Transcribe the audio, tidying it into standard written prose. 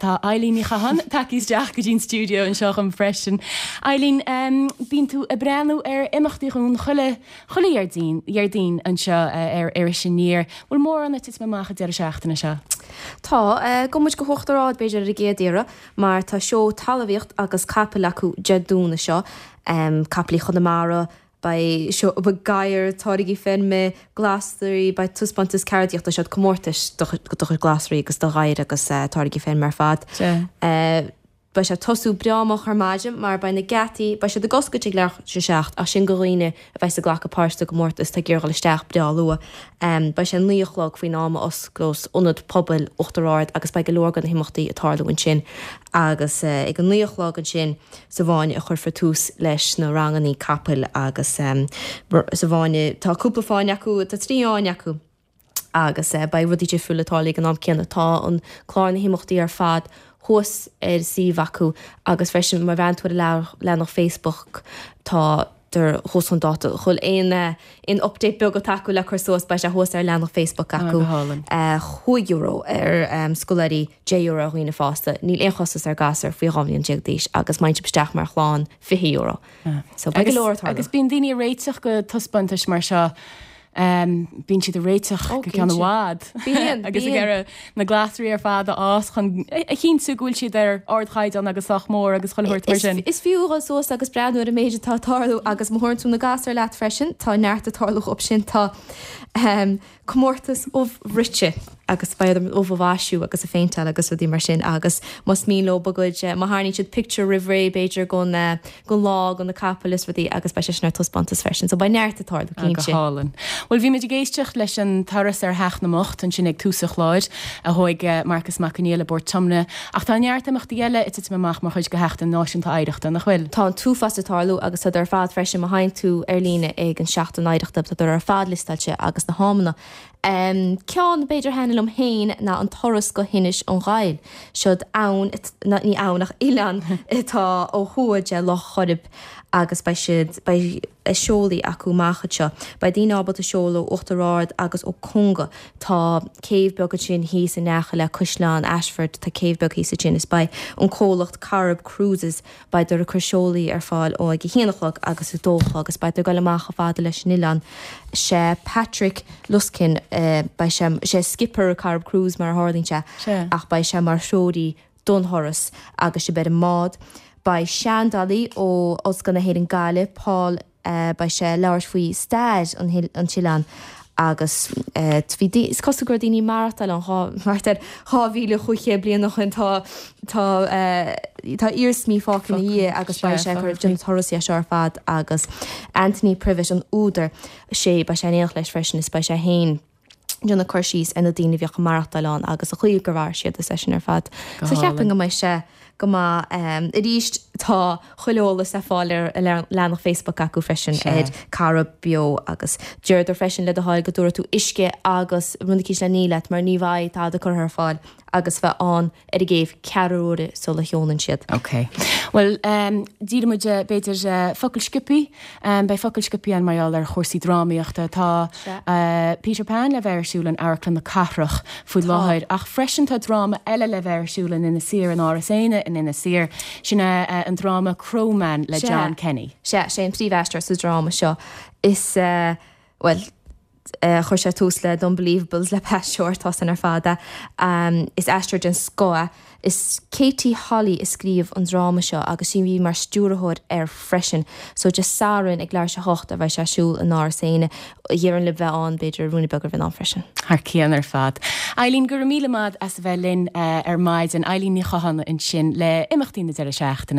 Tá Eileen Ní Chatháin tagtha isteach go dtí an stiúideo anseo chugam freisin. Eileen, bíonn tú ag breathnú ar imeachtaí dhúinn chuile, chuile Dhéardaoin, Dhéardaoin anseo ar Iris Aniar. Bhfuil mórán ag titim amach an deireadh seachtaine seo? Tá. Gabhfaidh muid go hUachtar Ard b'fhéidir ar an gcéad iarraidh mar tá seó talmhaíocht agus capaill acu Dé Domhnaigh seo. Capaillí Chonamara, Beidh seó, beidh gadhair, táirgí feirme, glasraí, beidh taispeántas ceardaíochta, siad comórtais do chuid glasraí agus do ghadhair agus táirgí feirme ar fad. Beidh sé ag tosú breá moch ar maidin mar beidh na geataí, beidh siad ag oscailt ag leathuair tar éis a 7 ach sin do dhaoine a bheas ag glacadh páirt sa gcomórtas atá ag iarraidh dhul isteach breá luath. Beidh sé 9 a chlog faoin am a osclós Ionad Pobail Uachtar Ard agus beidh go leor de na himeachtaí ag tarlú ansin agus ag a 9 a chlog ansin, Sa bhfáinne a chuirfear tús leis na rangannaí capaill agus sa bhfáinne, tá cúpla fáinne acu, tá 3 fháinne acu agus beidh rudaí difriúla ag tarlú ag an am céanna. Tá an clár na himeachtaí ar fad thuas ar an suíomh acu agus freisin má bhreathnaíonn tú ar a leathanach Facebook tá tar thuas chun dáta. Chuile aon aon update beag atá acu le cur suas beidh sé thuas ar leathanach Facebook acu. €5 ar scoláirí, €10 ar dhaoine fásta. Níl aon chostas ar ghasúir faoi 12 mbliana d'aois agus má théann sibh isteach mar chlann, €20. So beidh go leor ag tarlú. Agus bíonn daoine ag réiteach go taispeántais mar seo. Bíonn siad ag réiteach go ceann i bhfad. Bíonn, Agus ag iarraidh na glasraí ar fad a fhás chun a chinntiú go bhfuil siad ar ardchaighdeán agus sách mór agus chuile shórt mar sin. Is fiú a dhul suas agus breathnú ar an méid atá ag tarlú agus má thabharann tú na gasúir leat freisin, tá neart ag tarlú dhóibh sin. Tá comórtas ubh bhruite agus beidh orthu ubh a mhaisiú agus a phéinteáil agus rudaí mar sin agus más mian leo a gcuid, má tharraingíonn siad pictiúr roimh ré b'fhéidir gon, gon lá, go na capaill is rudaí agus beidh sé sin ar taispeántas freisin. So beidh neart ag tarlú, cinnte. Go hálainn. Bhuel bhí muid ag éisteacht leis an turas ar Theach na mBocht ansin ag tús an chláir a thóig Marcus Mac Conghail i bPort Tiomna ach tá neart imeachtaí eile ag titim amach mar chuid de Sheachtain Náisiúnta Oidhreachta, nach bhfuil? Tá an t-uafás ag tarlú agus tá ar fad freisin má théann tú ar líne ag an Seachtain Oidhreachta tá ar fad liostáilte agus na hamanna. Ceann b'fhéidir a thaitnigh liom féin ná an turas go hInis an Ghaill. Siod abhainn, ní abhainn ach oileán atá ó thuaidh de Loch Coirib agus beidh siad, beidh seolaí acu amach anseo. Beidh daoine ábalta seoladh ó Uachtar Ard agus ó Conga. Tá céibh beag ansin thíos in aice le Caisleán Ashford, tá céibh beag thíos ansin is beidh an comhlacht Corrib Cruises, Beidh ag cur seolaí ar fáil ó ag a haon a chlog agus a dó a chlog agus beidh ag dul amach chomh fada leis an oileán. Sé Patrick Luskin, beidh sé, sé skipper Corrib Cruise mar a tharlaíonn sé, ach beidh sé mar threoraí don thuras agus sibh ar an mbád. Beidh seandálaí ó Ollscoil na hÉireann Gaillimh, Paul. Beidh sé ag labhairt faoi stair an t-oileán agus bhí, is cosúil go raibh daoine ag maireachtáil ann thart ar 2,500 bliain ó shin. Tá, tá, tá iarsmaí fágtha ina dhiaidh agus beidh sé ag cur déanamh turas é seo ar fad agus Anthony Privett an údar, sé, beidh sé in éineacht leis freisin is beidh sé féin. déanamh cur síos ar na daoine a bhíodh ag maireachtáil ann agus an chaoi gur mhair siad is é sin ar fad. Go So cheapfainn go mbeidh sé go maith. Arís tá chuile eolas le fáil ar a leathanach Facebook acu freisin ar Corrib Beo agus deireadar freisin le do thoil go dtabharfaidh tú uisce agus rud eicínt le ní leat mar ní bheidh tada curtha ar fáil agus bheith ann ar an gcéibh ceathrú uaire sula sheolann siad. Ok. Bhuel, díreoidh muid, b'fhéidir, focal sciobthaí. Beidh focal sciobthaí ann mar gheall ar chúrsaí drámaíochta. Tá Peter Pan le bheith ar siúl in Amharclann na Cathrach faoi láthair ach freisin tá dráma eile le bheith ar siúl in Inis Oírr, in Áras Éanna in Inis Oírr. Sin é an dráma Crowman le John Kenny. Sea, sé an príomhaisteoir sa dráma seo. Is, bhuel, Chuir sé tús le The Unbelievables le Pat Shortt, tá san ar fad. Is aisteoir den scoth é. Is Katie Holly a scríobh an dráma seo agus sí a bhí mar stiúrthóir air freisin. So Dé Sathairn ag leathuair tar éis a hocht a bheidh sé ar siúl in Áras Éanna. Déarfainn libh bheith ann, b'fhéidir ruainne beag roimh an am freisin. Thar cionn ar fad. Eileen, go raibh míle maith as a bheith linn ar maidin. Eileen Ní Chatháin ansin le imeachtaí na deireadh seachtaine.